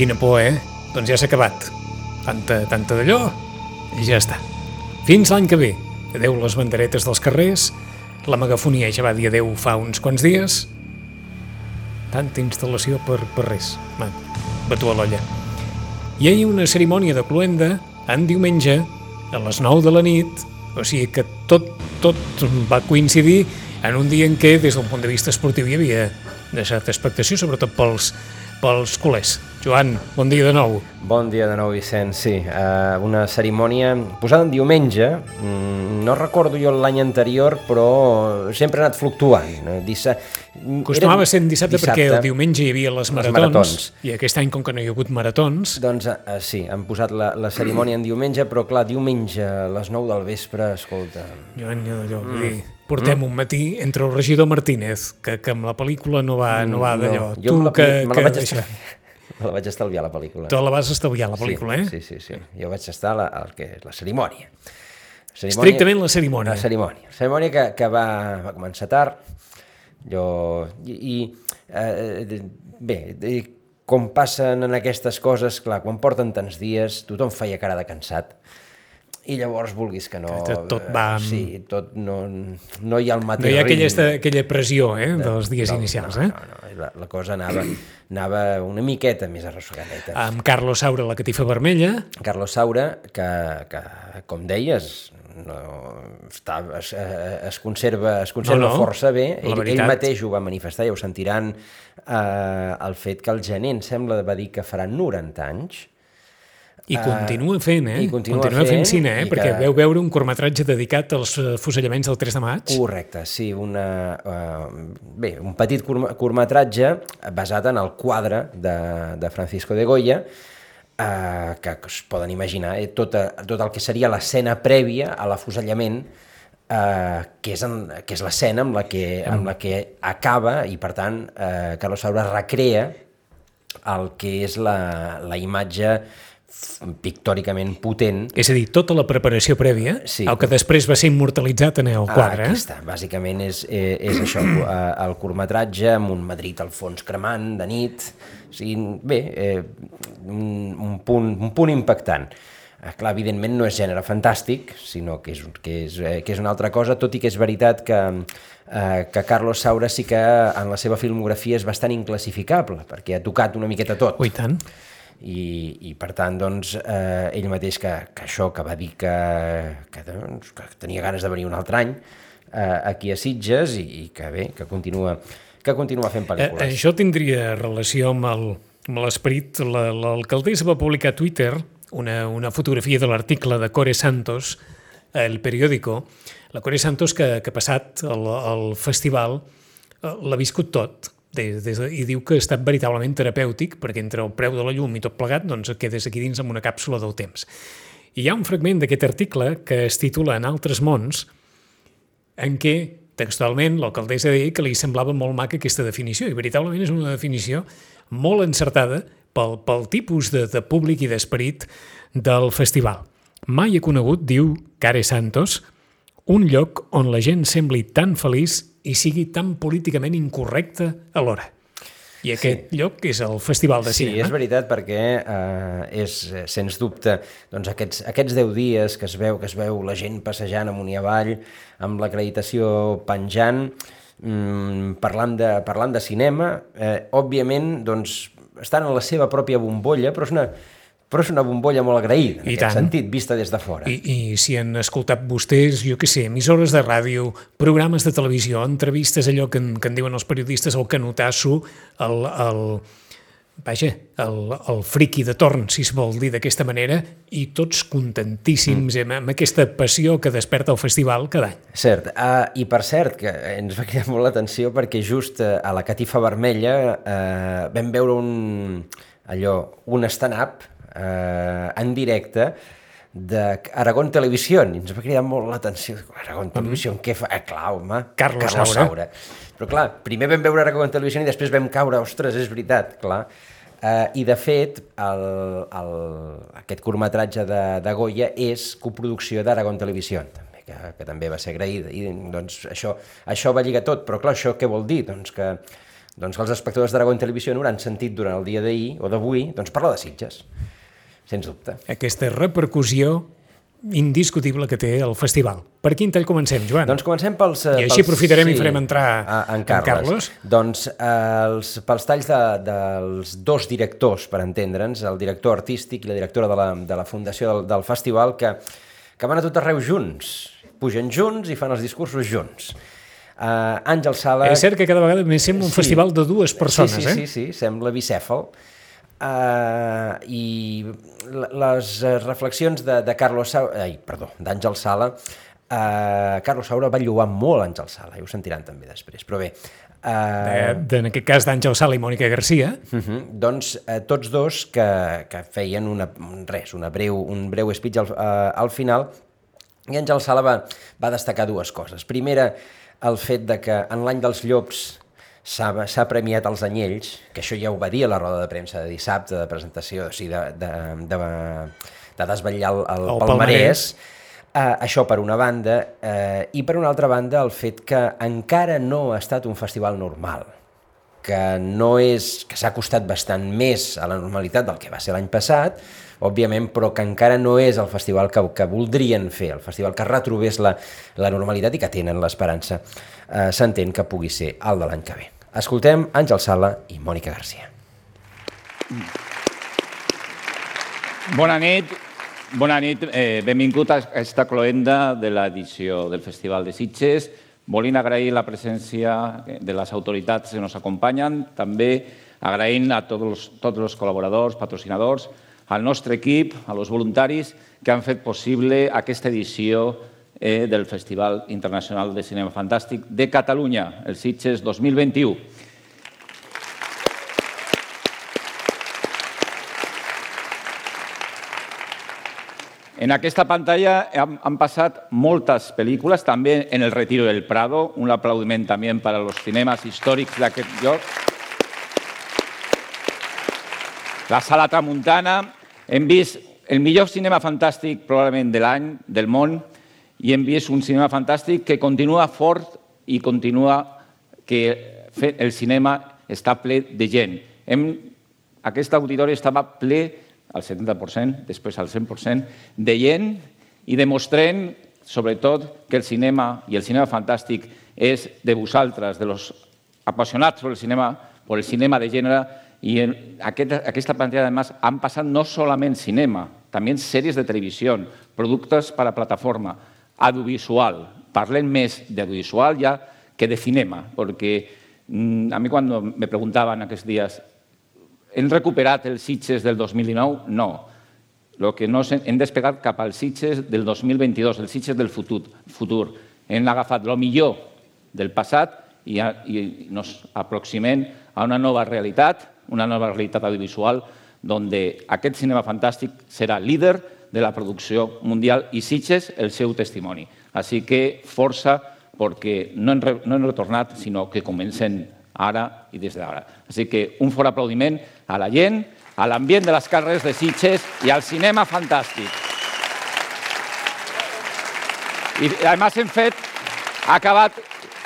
Quina por, Doncs ja s'ha acabat. Tanta d'allò i ja està. Fins l'any que ve. Adéu les banderetes dels carrers. La megafonia ja va dir adéu fa uns quants dies. Tanta instal·lació per res. Batu a l'olla. Hi ha una cerimònia de cloenda en diumenge a les 9 de la nit, o sigui que tot va coincidir en un dia en què, des del punt de vista esportiu, hi havia de certa expectació, sobretot pels culers. Joan, bon dia de nou. Bon dia de nou, Vicenç. Sí, una cerimònia posada en diumenge. No recordo jo l'any anterior, però sempre ha anat fluctuant. Costumava ser en dissabte perquè el diumenge hi havia les maratons, i aquest any, com que no hi ha hagut maratons... Doncs sí, han posat la cerimònia en diumenge, però clar, diumenge a les 9 del vespre, escolta... Joan, portem un matí entre el regidor Martínez, que amb la pel·lícula no va d'allò. Me la vaig estalviar, la pel·lícula. Tu la vas estalviar, la pel·lícula, Sí. Jo vaig estar a la cerimònia. Estrictament la cerimònia. La cerimònia que va començar tard. Com passen en aquestes coses, clar, quan porten tants dies, tothom feia cara de cansat. I llavors, vulguis que no... Tot va... Sí, tot no hi ha el mateix ritme. No hi ha aquella pressió, dels dies inicials, No, la cosa anava una miqueta més arrossegadeta. Amb Carlos Saura, la catifa vermella. Carlos Saura, que com deies, es conserva força bé. Ell mateix ho va manifestar, ja ho sentiran, el fet que el gener, em sembla, va dir que farà 90 anys. I continua fent, Continua fent cine, perquè veu veure un curtmetratge dedicat als fusellaments del 3 de maig. Correcte, sí, un petit curtmetratge basat en el quadre de Francisco de Goya, que es poden imaginar, tot el que seria l'escena prèvia a l'afusellament, que és l'escena amb la que acaba, i per tant Carlos Saura recrea el que és la imatge pictòricament potent. És a dir, tota la preparació prèvia, el que després va ser immortalitzat en el quadre. Aquí està, bàsicament és això, el curtmetratge amb un Madrid al fons cremant de nit, o sigui, un punt impactant. Clar, evidentment no és gènere fantàstic, sinó que és una altra cosa, tot i que és veritat que Carlos Saura sí que en la seva filmografia és bastant inclassificable, perquè ha tocat una miqueta tot. I tant. I per tant, doncs, ell mateix que va dir que tenia ganes de venir un altre any aquí a Sitges i que continua fent pel·lícules. Això tindria relació amb l'esperit. L'alcaldessa va publicar a Twitter una fotografia de l'article de Core Santos, El Periódico. La Core Santos, que ha passat el festival, l'ha viscut tot, i diu que ha estat veritablement terapèutic, perquè entre el preu de la llum i tot plegat, doncs et quedes aquí dins amb una càpsula del temps. I hi ha un fragment d'aquest article que es titula En altres mons, en què textualment l'alcaldessa deia que li semblava molt maca aquesta definició, i veritablement és una definició molt encertada pel tipus de públic i d'esperit del festival. Mai he conegut, diu Core Santos, un lloc on la gent sembli tan feliç i sigui tan políticament incorrecte alhora. I aquest lloc és el Festival de Cinema. Sí, és veritat, perquè és, sens dubte, doncs aquests 10 dies que es veu la gent passejant amunt i avall, amb l'acreditació penjant, parlant de cinema, òbviament, doncs, estan en la seva pròpia bombolla, però és una bombolla molt agraïda, en aquest sentit, vista des de fora. I si han escoltat vostès, jo què sé, emissores de ràdio, programes de televisió, entrevistes, allò que en diuen els periodistes, el canotasso, el friqui de torn, si es vol dir d'aquesta manera, i tots contentíssims amb aquesta passió que desperta el festival cada any. Cert, i per cert, que ens va cridar molt l'atenció perquè just a la Catifa Vermella vam veure un stand-up en directe d'Aragón Televisión, i ens va cridar molt l'atenció. Aragón Televisión, què fa? Clar, home, Carlos Saura. Però clar, primer vam veure Aragón Televisión i després vam caure, ostres, és veritat, clar. I de fet, aquest curtmetratge de Goya és coproducció d'Aragón Televisión, també, que també va ser agraïda. I doncs això va lligar tot, però clar, això què vol dir? Doncs que Doncs els espectadors d'Aragó Televisió hauran sentit durant el dia d'ahir o d'avui parlar de Sitges, sens dubte. Aquesta repercussió indiscutible que té el festival. Per quin tall comencem, Joan? Doncs comencem pels... I així aprofitarem i farem entrar en Carles. Doncs pels talls dels dos directors, per entendre'ns, el director artístic i la directora de la fundació del festival, que van a tot arreu junts, pugen junts i fan els discursos junts. Àngel Sala... És cert que cada vegada més sembla un festival de dues persones, Sí, sembla bicèfal. I les reflexions d'Àngel Sala, Carlos Saura va lloar molt Àngel Sala, i ho sentiran també després, però bé... En aquest cas d'Àngel Sala i Mònica Garcia. Doncs tots dos que feien un breu speech al final, i Àngel Sala va destacar dues coses. Primera, el fet de que en l'any dels llops s'ha premiat els anyells, que això ja ho va dir a la roda de premsa de dissabte, de presentació, o sigui, de desvetllar el palmarès. Això per una banda, i per una altra banda el fet que encara no ha estat un festival normal, que s'ha costat bastant més a la normalitat del que va ser l'any passat, òbviament, però que encara no és el festival que voldrien fer, el festival que retrobés la normalitat i que tenen l'esperança, s'entén que pugui ser el de l'any que ve. Escoltem Àngel Sala i Mònica Garcia. Bona nit, benvingut a aquesta cloenda de l'edició del Festival de Sitges. Volem agrair la presència de les autoritats que ens acompanyen, també agraint a tots els col·laboradors, patrocinadors, al nostre equip, a los voluntaris que han fet possible aquesta edició del Festival Internacional de Cinema Fantàstic de Catalunya, el Sitges 2021. En aquesta pantalla han passat moltes pel·lícules, també en El Retiro del Prado, un aplaudiment també per als cinemes històrics d'aquest lloc. La Sala Tramuntana, hem vist el millor cinema fantàstic probablement de l'any, del món, i hem vist un cinema fantàstic que continua fort i continua que el cinema està ple de gent. Aquest auditori estava ple al 70%, després al 100%, de gent i demostrant, sobretot, que el cinema i el cinema fantàstic és de vosaltres, de los apassionats per el cinema de gènere. Y en aquesta pantalla, además, han pasado no solamente cinema, también series de televisión, productos para plataforma, audiovisual. Parlen més de audiovisual ya que de cinema, porque a mí cuando me preguntaban aquests dies ¿hem recuperat el Sitges del 2019? No. Lo que no hem despegat cap al Sitges del 2022, el Sitges del futur. Hem agafat el millor del passat i ens aproximem a una nova realitat audiovisual donde aquest cinema fantàstic serà líder de la producció mundial i Sitges el seu testimoni. Així que força, perquè no hem retornat, sinó que comencem ara i des d'ara. Així que un fort aplaudiment a la gent, a l'ambient de les carrers de Sitges i al cinema fantàstic. I a més ha acabat,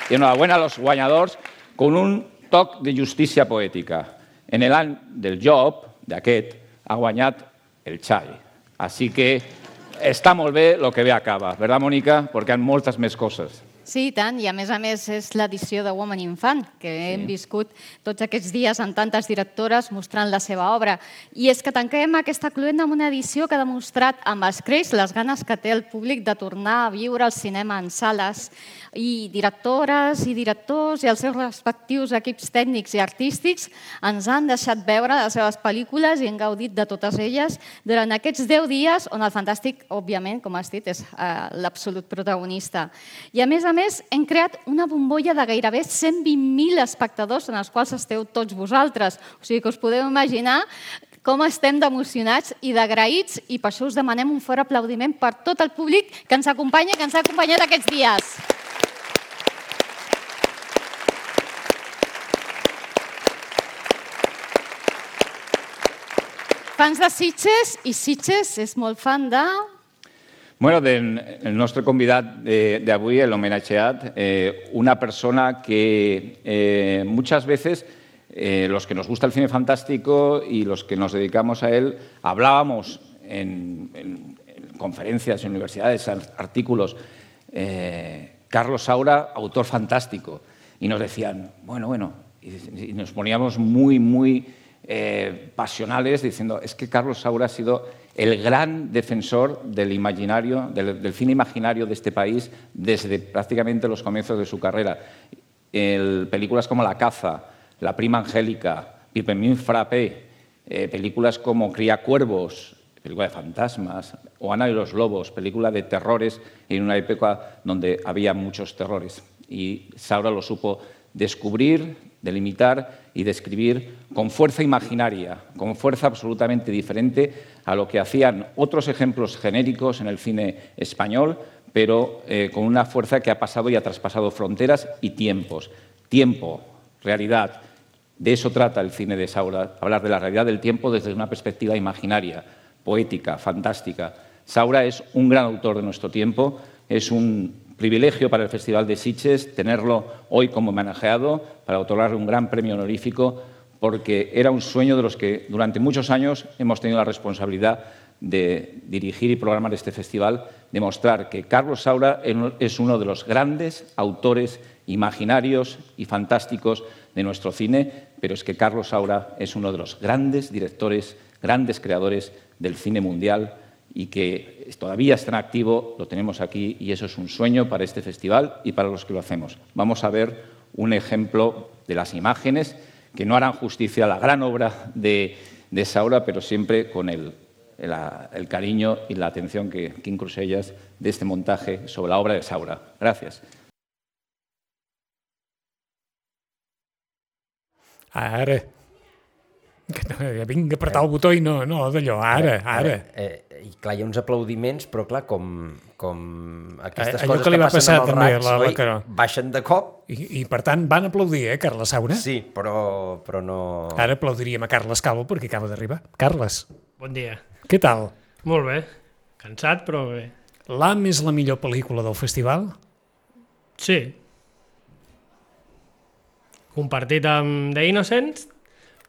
i enhorabuena a los guanyadors, con un toc de justícia poètica. En l'any del job, d'aquest, ha guanyat el Xai. Així que està molt bé el que bé acaba, ¿verdad, Mònica? Perquè hi ha moltes més coses. Sí, i tant, i a més és l'edició de Woman in Fan, que hem viscut tots aquests dies amb tantes directores mostrant la seva obra. I és que tanquem aquesta cluenda amb una edició que ha demostrat amb escreix les ganes que té el públic de tornar a viure el cinema en sales, i directores i directors i els seus respectius equips tècnics i artístics ens han deixat veure les seves pel·lícules i hem gaudit de totes elles durant aquests 10 dies on el fantàstic, òbviament, com has dit, és l'absolut protagonista. I a més, hem creat una bombolla de gairebé 120.000 espectadors en els quals esteu tots vosaltres. O sigui que us podeu imaginar com estem d'emocionats i d'agraïts i per això us demanem un fort aplaudiment per tot el públic que ens acompanya i que ens ha acompanyat aquests dies. Fans de Sitges, i Sitges és molt fan de... Bueno, el nostre convidat d'avui, l'homenatgeat, una persona que muchas veces los que nos gusta el cine fantástico y los que nos dedicamos a él, hablábamos en conferencias, en universidades, artículos, Carlos Saura, autor fantástico, y nos decían, bueno, y nos poníamos muy pasionales diciendo, es que Carlos Saura ha sido el gran defensor del imaginario, del cine imaginario de este país desde prácticamente los comienzos de su carrera. Películas como La caza, La prima angélica, Pipermin Frappé, películas como Cría cuervos, película de fantasmas, o Ana y los lobos, película de terrores en una época donde había muchos terrores. Y Saura lo supo descubrir, delimitar y describir con fuerza imaginaria, con fuerza absolutamente diferente a lo que hacían otros ejemplos genéricos en el cine español, pero con una fuerza que ha pasado y ha traspasado fronteras y tiempos. Tiempo, realidad. De eso trata el cine de Saura, hablar de la realidad del tiempo desde una perspectiva imaginaria, poética, fantástica. Saura es un gran autor de nuestro tiempo, es un privilegio para el Festival de Sitges tenerlo hoy como homenajeado para otorgarle un gran premio honorífico, porque era un sueño de los que durante muchos años hemos tenido la responsabilidad de dirigir y programar este festival, demostrar que Carlos Saura es uno de los grandes autores imaginarios y fantásticos de nuestro cine, pero es que Carlos Saura es uno de los grandes directores, grandes creadores del cine mundial y que todavía está en activo, lo tenemos aquí y eso es un sueño para este festival y para los que lo hacemos. Vamos a ver un ejemplo de las imágenes que no harán justicia a la gran obra de Saura, pero siempre con el cariño y la atención que incluso ellas de este montaje sobre la obra de Saura. Gracias. Ara. Vinc a apretar el botó i no d'allò, ara. I clar, hi ha uns aplaudiments, però clar, com aquestes allò coses que li va passen passar amb els també racs, a la oi? Caró. Baixen de cop. I per tant van aplaudir, Carles Saura? Sí, però no... Ara aplaudiríem a Carles Calvo perquè acaba d'arribar. Carles, Bon dia. què tal? Molt bé. Cansat, però bé. L'Am és la millor pel·lícula del festival? Sí. Compartit amb The Innocents,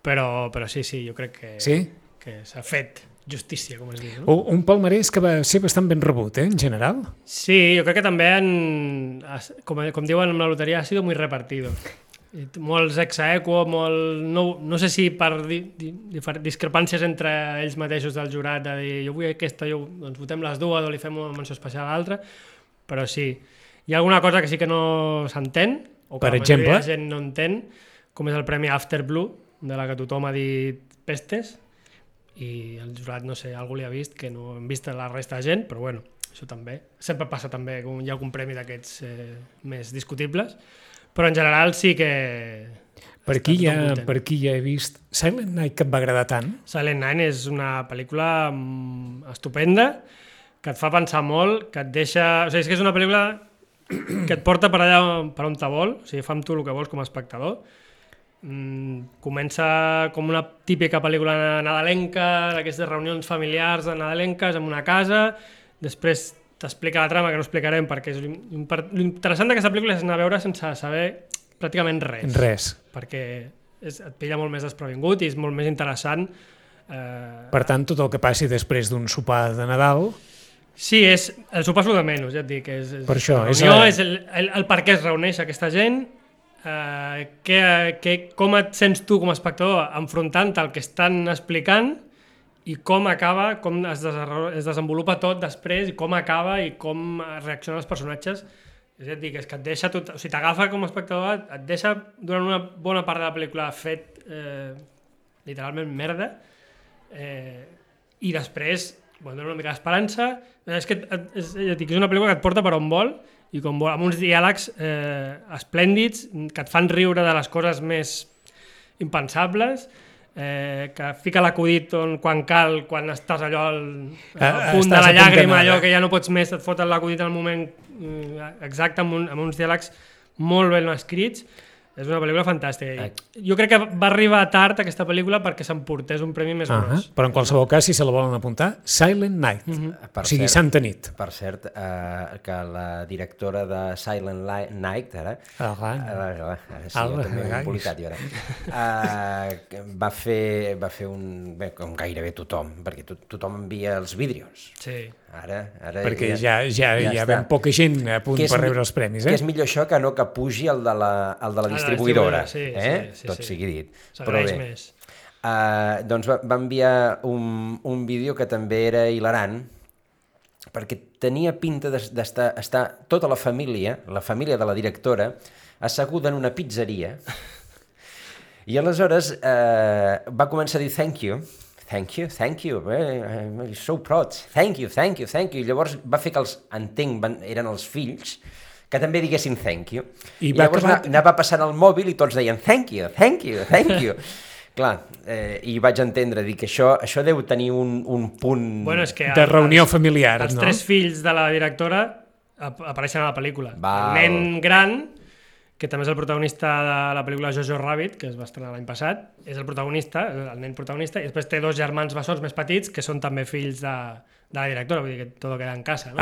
però sí, jo crec que s'ha fet justícia, com es diu. No? Un palmarès que va ser bastant ben rebut, en general? Sí, jo crec que també, com diuen amb la loteria, ha sido muy repartido. Molts ex aequo, no sé si per discrepàncies entre ells mateixos del jurat, de dir jo vull aquesta, doncs votem les dues o li fem una menció especial a l'altra, però sí. Hi ha alguna cosa que sí que no s'entén, o que per la majoria exemple? de la gent no entén, com és el premi After Blue, de la que tothom ha dit pestes, i el jurat, no sé, algú li ha vist que no hem vist la resta de gent, però bueno, això també. Sempre passa també que hi ha algun premi d'aquests més discutibles, però en general sí que... Per aquí ja he vist Silent Night, que et va agradar tant. Silent Night és una pel·lícula estupenda, que et fa pensar molt, que et deixa... O sigui, és que és una pel·lícula que et porta per allà per on te vol, o sigui, fa amb tu el que vols com a espectador. Comença com una típica pel·lícula nadalenca, d'aquestes reunions familiars nadalenques en una casa, després t'explica la trama, que no explicarem perquè és l'interessant d'aquesta pel·lícula és anar a veure sense saber pràcticament res. Perquè et pilla molt més desprevingut i és molt més interessant. Per tant, tot el que passi després d'un sopar de Nadal... Sí, el sopar és el de menys, ja et dic. Per això. És el per què es reuneix aquesta gent, com et sents tu com a espectador enfrontant el que estan explicant i com acaba, com es desenvolupa tot després i com acaba i com reaccionen els personatges. És a dir, que et deixa tot... O sigui, t'agafa com a espectador, et deixa durant una bona part de la pel·lícula fet literalment merda i després dona una mica d'esperança. És que és una pel·lícula que et porta per on vol i com vol, amb uns diàlegs esplèndids que et fan riure de les coses més impensables, que fica l'acudit quan cal, quan estàs allò al punt de la llàgrima, allò que ja no pots més, et foten l'acudit al moment exacte, amb uns diàlegs molt ben escrits. És una pel·lícula fantàstica. Jo crec que va arribar tard aquesta pel·lícula perquè s'emportés un premi més gros. Però en qualsevol cas, si se la volen apuntar, Silent Night, o sigui, Santa Nit. Per cert, que la directora de Silent Night, ara sí, jo també m'he embolicat jo ara, va fer un... Bé, com gairebé tothom, perquè tothom envia els vídeos. Sí. Ara perquè ja ben poca gent a punt per rebre els premis. Que és millor això que no que pugi el de la distribuïdora. Sí, tot sigui dit. S'agraeix més. Doncs va enviar un vídeo que també era hilarant, perquè tenia pinta d'estar tota la família de la directora, asseguda en una pizzeria, i aleshores va començar a dir thank you, I'm so proud, thank you, i llavors va fer que eren els fills, que també diguessin thank you, i llavors anava passant el mòbil i tots deien thank you. Clar, i vaig entendre, dir que això deu tenir un punt de reunió familiar. Els 3 fills de la directora apareixen a la pel·lícula. El nen gran, que també és el protagonista de la pel·lícula Jojo Rabbit, que es va estrenar l'any passat, és el protagonista, el nen protagonista, i després té 2 germans bessons més petits, que són també fills de la directora, vull dir que tot queda en casa, no?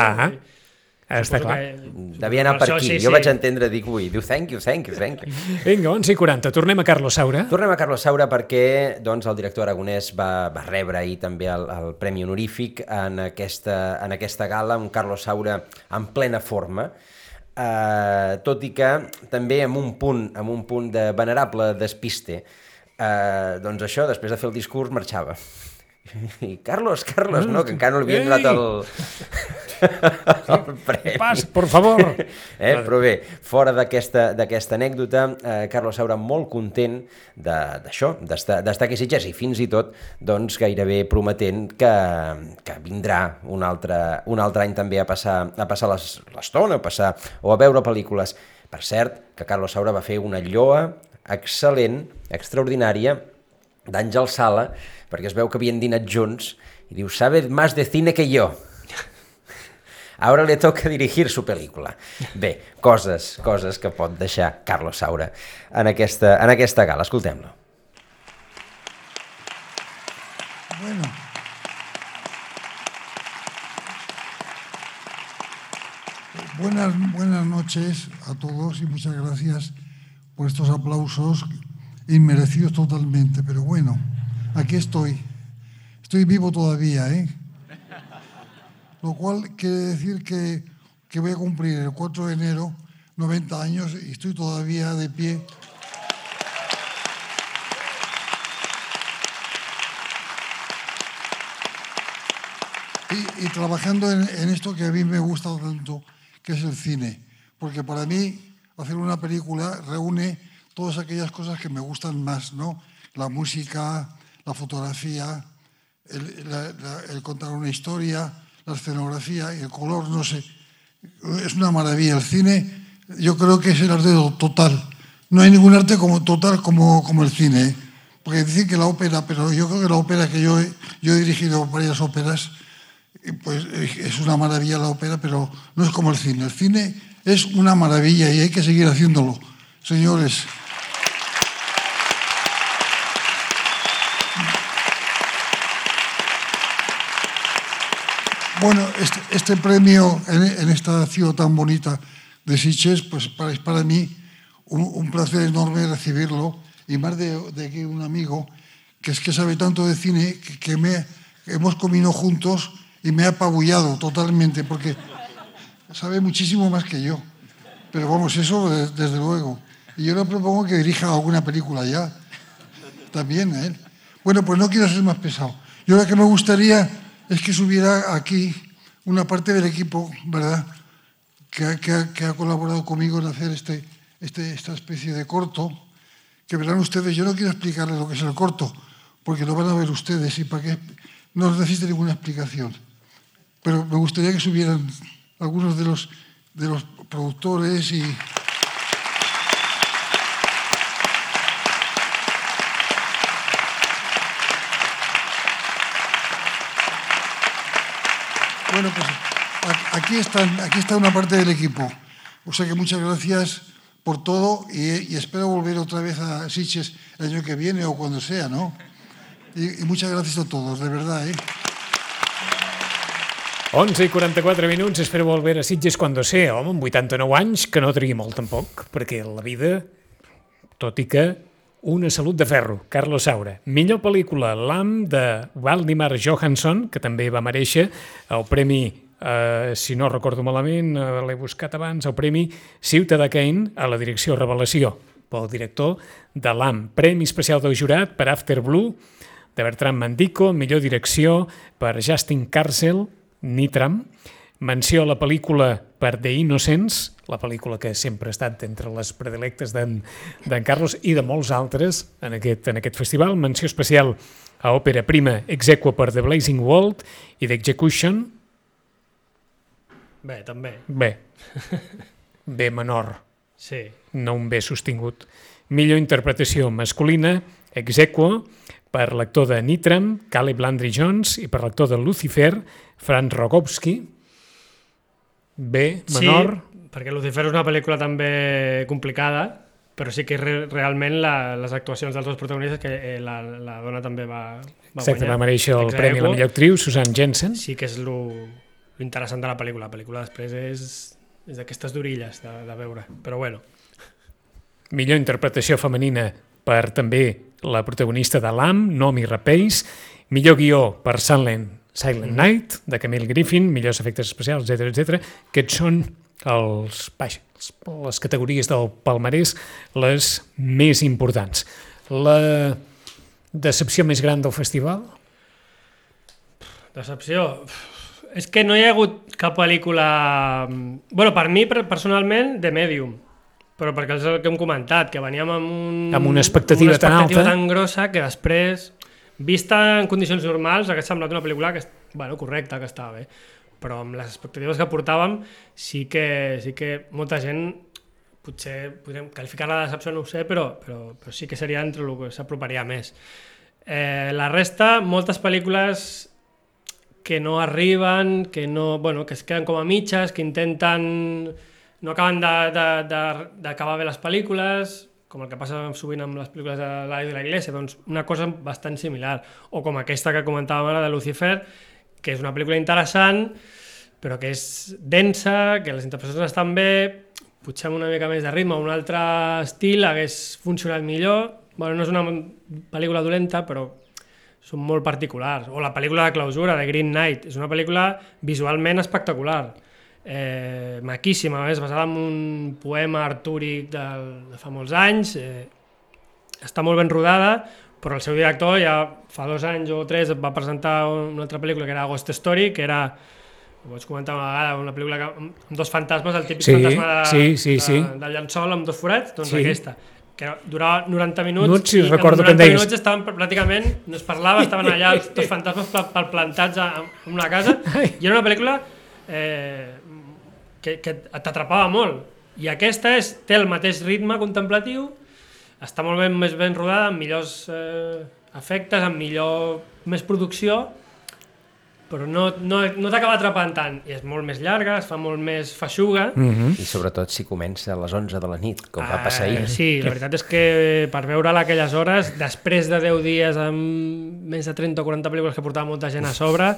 Està clar. Devia anar per aquí. Jo vaig entendre, diu thank you. Vinga, 11:40, tornem a Carlos Saura. Tornem a Carlos Saura perquè el director aragonès va rebre ahir també el Premi Honorífic en aquesta gala, un Carlos Saura en plena forma, tot i que també amb un punt de venerable despiste. Doncs això, després de fer el discurs, marxava. I Carlos, no, que encara no li havien donat el premi. Pas, por favor. Però bé, fora d'aquesta anècdota, Carlos Saura molt content d'això, d'estar aquí a Sitges, i fins i tot gairebé prometent que vindrà un altre any també a passar l'estona, o a veure pel·lícules. Per cert, que Carlos Saura va fer una lloa excel·lent, extraordinària, d'Àngel Sala, perquè es veu que havien dinat junts, i diu, sabe más de cine que yo. Ahora le toca dirigir su película. Bé, coses que pot deixar Carlos Saura en aquesta gala. Escoltem-lo. Buenas noches a todos y muchas gracias por estos aplausos inmerecidos totalmente, pero bueno, aquí estoy vivo todavía, lo cual quiere decir que voy a cumplir el 4 de enero 90 años y estoy todavía de pie. Y trabajando en esto que a mí me gusta tanto, que es el cine, porque para mí hacer una película reúne todas aquellas cosas que me gustan más, ¿no? La música, la fotografía, el contar una historia, la escenografía y el color, no sé. Es una maravilla. El cine, yo creo que es el arte total. No hay ningún arte total como el cine, porque dicen que la ópera, pero yo creo que la ópera, que yo he dirigido varias óperas, pues es una maravilla la ópera, pero no es como el cine. El cine es una maravilla y hay que seguir haciéndolo, señores. Bueno, este premio en esta ciudad tan bonita de Sitges, pues para mí un placer enorme recibirlo, y más de que un amigo que sabe tanto de cine que hemos comido juntos y me ha apabullado totalmente, porque sabe muchísimo más que yo. Pero vamos, eso desde luego. Y yo le propongo que dirija alguna película ya, también a él. Bueno, pues no quiero ser más pesado. Yo lo que me gustaría es que subiera aquí una parte del equipo, ¿verdad?, que ha colaborado conmigo en hacer esta especie de corto, que verán ustedes. Yo no quiero explicarles lo que es el corto, porque lo van a ver ustedes y para qué no necesita ninguna explicación. Pero me gustaría que subieran algunos de los productores y... Bueno, pues aquí está una parte del equipo. O sea que muchas gracias por todo y espero volver otra vez a Sitges el año que viene o cuando sea, ¿no? Y muchas gracias a todos, de verdad, 11:44 minuts, espero volver a Sitges quan sea. Home, amb 89 anys, que no trigui molt tampoc, perquè la vida, tot i que una salut de ferro. Carlos Saura. Millor pel·lícula, Lamb, de Valdimar Johansson, que també va merèixer el premi, si no recordo malament, l'he buscat abans, el premi Ciutadà Kane a la direcció Revelació, pel director de Lamb. Premi especial del jurat per After Blue, de Bertrand Mandico, millor direcció per Justin Kurzel, Nitram, menció a la pel·lícula per The Innocents, la pel·lícula que sempre ha estat entre les predilectes d'en Carlos i de molts altres en aquest festival, menció especial a òpera prima ex aequo per The Blazing World i The Execution. Bé, també. B menor, sí. No un B sostingut. Millor interpretació masculina, ex aequo, per l'actor de Nitram, Caleb Landry Jones, i per l'actor de Lucifer, Franz Rogowski. B menor. Sí, perquè Lucifer és una pel·lícula també complicada, però sí que realment les actuacions dels dos protagonistes, que la dona també va Exacte, guanyar. va merèixer el premi a la millor actriu, Susan Jensen. Sí que és l'interessant de la pel·lícula. La pel·lícula després és d'aquestes d'orilles de veure, però bueno. Millor interpretació femenina per també la protagonista de Lamb, Noomi Rapace. Millor guió per Silent Night, de Camille Griffin, millors efectes especials, etc. Aquests són les categories del palmarès les més importants. La decepció més gran del festival? Decepció? És que no hi ha hagut cap pel·lícula... Bueno, per mi, personalment, The Medium. Però perquè és el que hem comentat, que veníem amb una expectativa tan alta, tan grossa, que després, vista en condicions normals, hagués semblat una pel·lícula que, correcta, que estava bé. Però amb les expectatives que portàvem, sí que molta gent, potser podríem qualificar-la de decepció, no ho sé, però sí que seria entre el que s'aproparia més. La resta, moltes pel·lícules que no arriben, que es queden com a mitges, que intenten... no acaben d'acabar bé les pel·lícules, com el que passa sovint amb les pel·lícules de la Iglesia, doncs una cosa bastant similar. O com aquesta que comentàvem ara de Lucifer, que és una pel·lícula interessant, però que és densa, que les interpretacions estan bé, potser amb una mica més de ritme, un altre estil hagués funcionat millor. Bueno, no és una pel·lícula dolenta, però són molt particulars. O la pel·lícula de clausura, de Green Knight, és una pel·lícula visualment espectacular. Maquíssima, és basada en un poema artúric de fa molts anys, està molt ben rodada, però el seu director ja fa 2 anys o 3 va presentar una altra pel·lícula que era Ghost Story, que era, ho vaig comentar una vegada, una pel·lícula amb 2 fantasmes, el típic fantasma del llençol amb 2 forats, doncs aquesta, que durava 90 minuts i en 90 minuts estaven pràcticament, no es parlava, estaven allà els 2 fantasmes plantats en una casa, i era una pel·lícula que t'atrapava molt, i aquesta té el mateix ritme contemplatiu, està molt més ben rodada, amb millors efectes, amb més producció, però no t'acaba atrapant tant, i és molt més llarga, es fa molt més feixuga. I sobretot si comença a les 11 de la nit, com va passar ahir. Sí, la veritat és que per veure-la aquelles hores, després de 10 dies amb més de 30 o 40 pel·lícules que portava molta gent a sobre,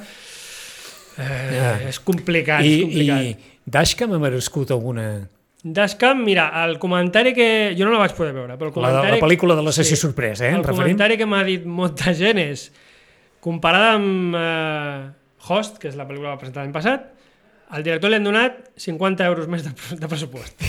és complicat. I Dashcam ha merescut alguna... Dashcam, mira, el comentari que... Jo no la vaig poder veure, però el comentari... La pel·lícula de la sessió sorpresa, El comentari que m'ha dit molta gent és, comparada amb Host, que és la pel·lícula que va presentar l'any passat, al director li han donat 50 euros més de pressupost.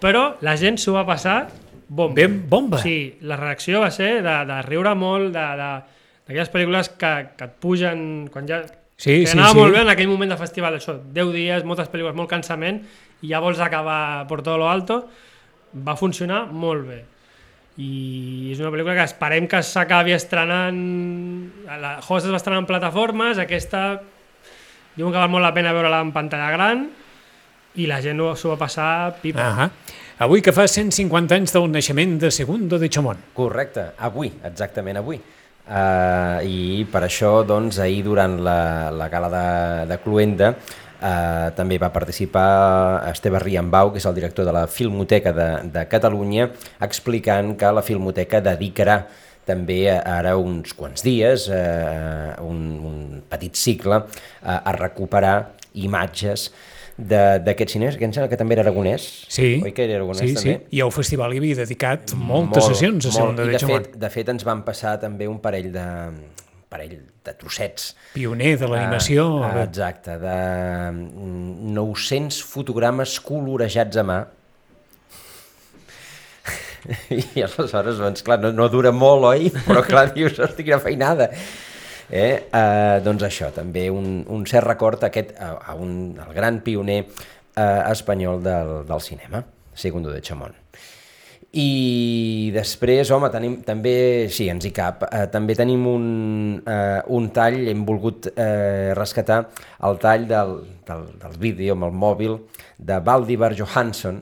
Però la gent s'ho va passar bomba. Ben bomba. Sí, la reacció va ser de riure molt, d'aquelles pel·lícules que et pugen quan ja... Sí, anava molt bé en aquell moment de festival, això, 10 dies, moltes pel·lícules, molt cansament, i ja vols acabar por todo lo alto, va funcionar molt bé. I és una pel·lícula que esperem que s'acabi estrenant... La Host es va estrenar en plataformes, aquesta diuen que val molt la pena veure-la en pantalla gran, i la gent s'ho va passar pipa. Avui que fa 150 anys del naixement de Segundo de Chamón. Correcte, avui, exactament avui. I per això, doncs, ahir durant la gala de Cluenda També va participar Esteve Riambau, que és el director de la Filmoteca de Catalunya, explicant que la Filmoteca dedicarà també ara uns quants dies, un petit cicle, a recuperar imatges d'aquests cines, que em sembla que també era aragonès. Sí, oi que era aragonès, sí, també? sí. I al festival hi havia dedicat moltes sessions a Segunda de Chamon. De fet, ens van passar també un parell de trossets. Pioner de l'animació. Exacte, de 900 fotogrames colorejats a mà. I aleshores, doncs, clar, no dura molt, oi? Però clar, dius, hosti, quina feinada. Doncs això, també un cert record al gran pioner espanyol del cinema, Segundo de Chamon. I després, home, també, sí, ens hi cap, també tenim un tall, hem volgut rescatar el tall del vídeo amb el mòbil de Valdimar Johansson,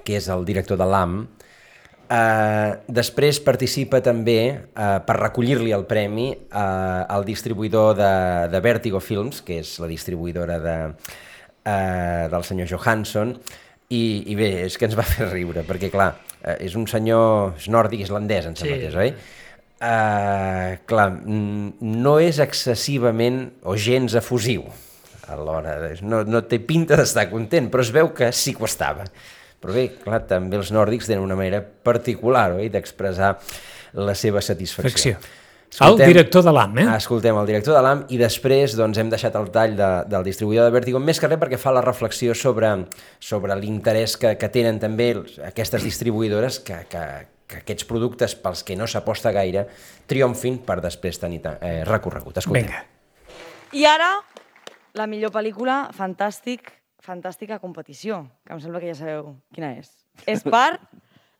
que és el director de l'AM. Després participa també, per recollir-li el premi, el distribuïdor de Vertigo Films, que és la distribuïdora del senyor Johansson, i bé, és que ens va fer riure, perquè clar, és un senyor, és nòrdic, islandès, em sembla que és, oi? Clar, no és excessivament o gens efusiu alhora, no té pinta d'estar content, però es veu que sí que ho estava. Però bé, clar, també els nòrdics tenen una manera particular, oi?, d'expressar la seva satisfacció. El director de l'AM, Escoltem el director de l'AM i després doncs, hem deixat el tall del distribuïdor de Vertigo, més que res perquè fa la reflexió sobre l'interès que tenen també aquestes distribuïdores que aquests productes pels que no s'aposta gaire triomfin per després tenir recorregut. Escoltem. Vinga. I ara, la millor pel·lícula, fantàstica competició, que em sembla que ja sabeu quina és. És per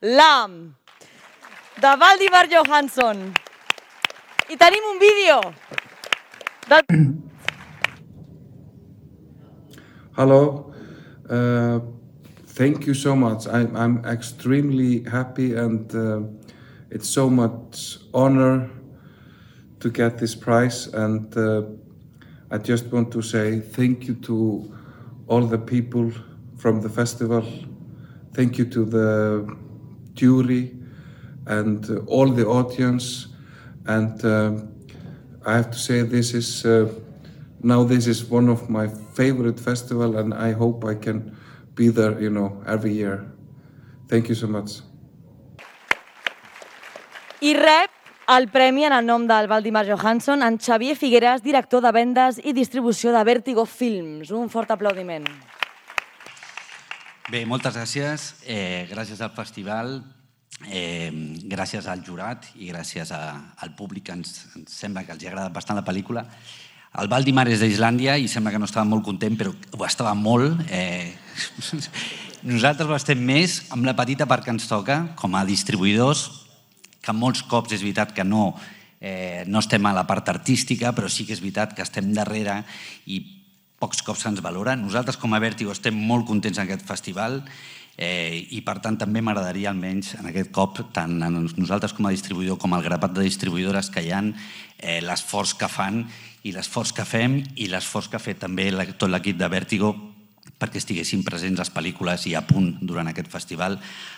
l'AM, de Valdimar Johansson. I tenim un vídeo. Hello. Thank you so much. I'm extremely happy and it's so much honor to get this prize, and I just want to say thank you to all the people from the festival. Thank you to the jury and all the audience. And I have to say this is one of my favorite festivals, and I hope I can be there, every year. Thank you so much. I rep el premi en el nom del Valdimar Johansson en Xavier Figueras, director de vendes i distribució de Vertigo Films. Un fort aplaudiment. Bé, moltes gràcies. Gràcies al festival, gràcies al jurat i gràcies al públic, que ens sembla que els ha agradat bastant la pel·lícula. El Valdimar és d'Islàndia i sembla que no estava molt content, però ho estava molt. Nosaltres ho estem més amb la petita part que ens toca, com a distribuïdors, que molts cops és veritat que no estem a la part artística, però sí que és veritat que estem darrere i pocs cops se'ns valora. Nosaltres, com a Vertigo, estem molt contents en aquest festival i, per tant, també m'agradaria, almenys en aquest cop, tant a nosaltres com a distribuïdor com al grapat de distribuïdores que hi ha, l'esforç que fan i l'esforç que fem i l'esforç que ha fet també tot l'equip de Vertigo perquè estiguessin presents les pel·lícules i a punt durant aquest festival.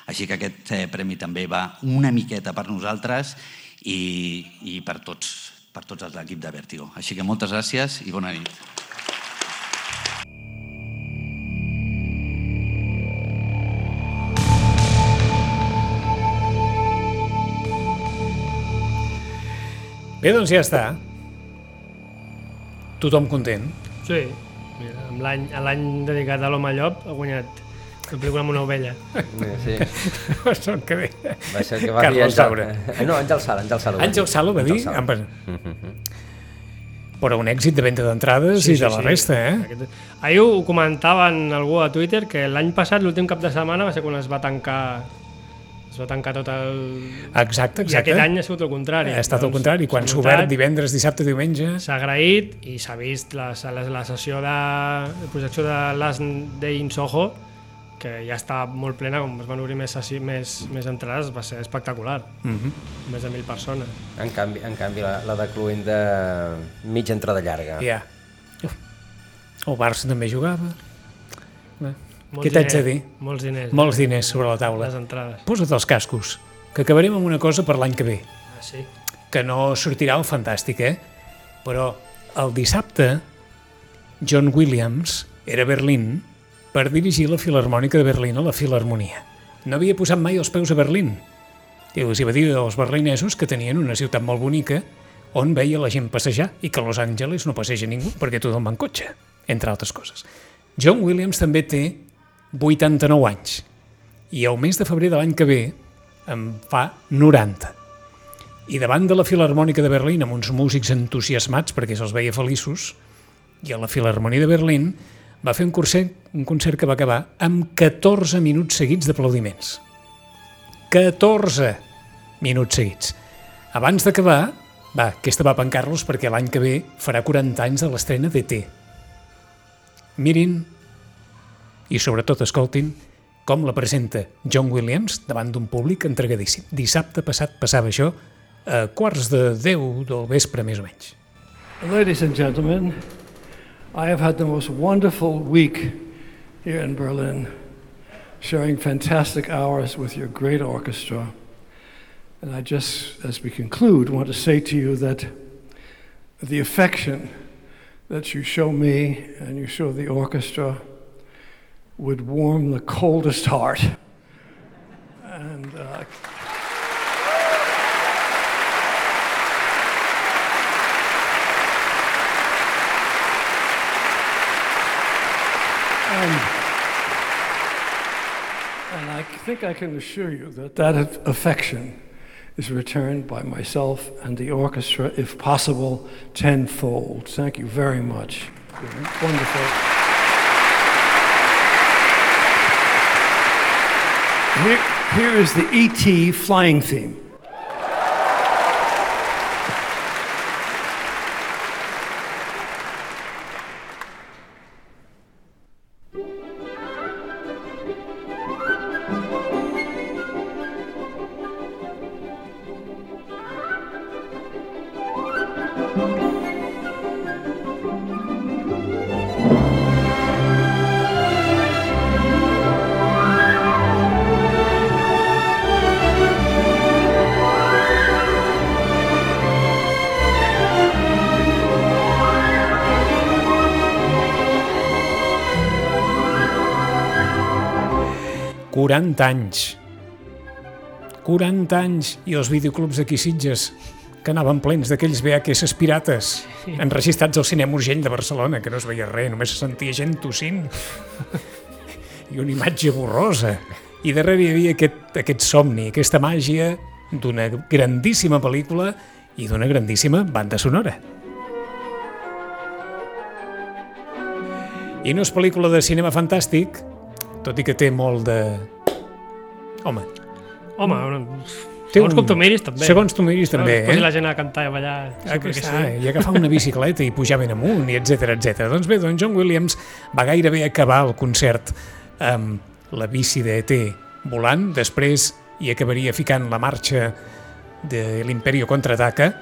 Així que aquest premi també va una miqueta per nosaltres i per tots els l'equip de Vertigo. Així que moltes gràcies i bona nit. Bé, doncs ja està. Tothom content. Sí. Mira, l'any dedicat a l'Home Llop ha guanyat la pel·lícula amb una ovella. Sí. Son que bé. Va ser que va dir Carlos Saura. No, Àngel Sala. Àngel Sala va dir? Però un èxit de venda d'entrades i de la resta, Ahir ho comentaven algú a Twitter, que l'any passat, l'últim cap de setmana, va ser quan es va tancar tot el... Exacte. I aquest any ha sigut el contrari. Ha estat el contrari. Quan s'ha obert divendres, dissabte, diumenge... S'ha agraït i s'ha vist la sessió de projecció de Last Day in Soho, que ja està molt plena, com es van obrir més entrades, va ser espectacular. Més de 1.000 persones. En canvi la de Cluenda, mitja entrada llarga. Ja. El Barça també jugava. Molts Què t'haig de dir? Molts diners. Molts diners sobre la taula. Les entrades. Posa't els cascos, que acabarem amb una cosa per l'any que ve, Ah, sí? que no sortirà el fantàstic, Però el dissabte, John Williams era a Berlín per dirigir la Filharmònica de Berlín a la Filharmonia. No havia posat mai els peus a Berlín. I els va dir als berlinesos que tenien una ciutat molt bonica on veia la gent passejar i que a Los Angeles no passeja ningú perquè tothom va en cotxe, entre altres coses. John Williams també té 89 anys i el mes de febrer de l'any que ve en fa 90. I davant de la Filharmònica de Berlín, amb uns músics entusiasmats perquè se'ls veia feliços, i a la Filharmonia de Berlín va fer un concert que va acabar amb 14 minuts seguits d'aplaudiments. 14 minuts seguits. Abans d'acabar, aquesta va per en Carlos perquè l'any que ve farà 40 anys de l'estrena d'E.T. Mirin i sobretot escoltin com la presenta John Williams davant d'un públic entregadíssim. Dissabte passat passava això a 9:45 del vespre, més o menys. Ladies and gentlemen, I have had the most wonderful week here in Berlin, sharing fantastic hours with your great orchestra. And I just, as we conclude, want to say to you that the affection that you show me and you show the orchestra would warm the coldest heart. And I think I can assure you that that affection is returned by myself and the orchestra, if possible, tenfold. Thank you very much. Wonderful. Here is the E.T. flying theme. anys. 40 anys i els videoclubs d'aquí Sitges que anaven plens d'aquells VHS pirates enregistrats al Cinema Urgell de Barcelona, que no es veia res, només se sentia gent tossint i una imatge borrosa. I darrere hi havia aquest somni, aquesta màgia d'una grandíssima pel·lícula i d'una grandíssima banda sonora. I no és pel·lícula de cinema fantàstic, tot i que té molt de... Home, segons com tu miris també. Segons tu miris també, Posi la gent a cantar i a ballar. I agafar una bicicleta i pujar ben amunt, i etcètera. Doncs bé, John Williams va gairebé acabar el concert amb la bici d'E.T. volant, després hi acabaria ficant la marxa de l'Imperio Contraataca,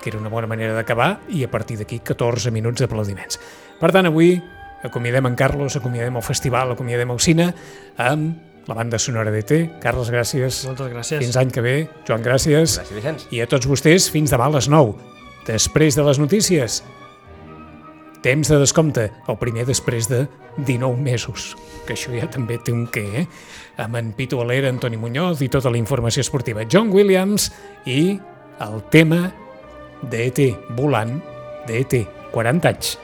que era una bona manera d'acabar, i a partir d'aquí 14 minuts d'aplaudiments. Per tant, avui acomiadem en Carlos, acomiadem el festival, acomiadem el cine, amb la banda sonora d'E.T. Carles, gràcies. Moltes gràcies. Fins l'any que ve. Joan, gràcies. Gràcies, Vicenç. I a tots vostès, fins demà a les 9. Després de les notícies, temps de descompte, el primer després de 19 mesos, que això ja també té un què, amb en Pitu Alera, Antoni Muñoz i tota la informació esportiva. John Williams i el tema d'E.T. volant d'E.T. 40 anys.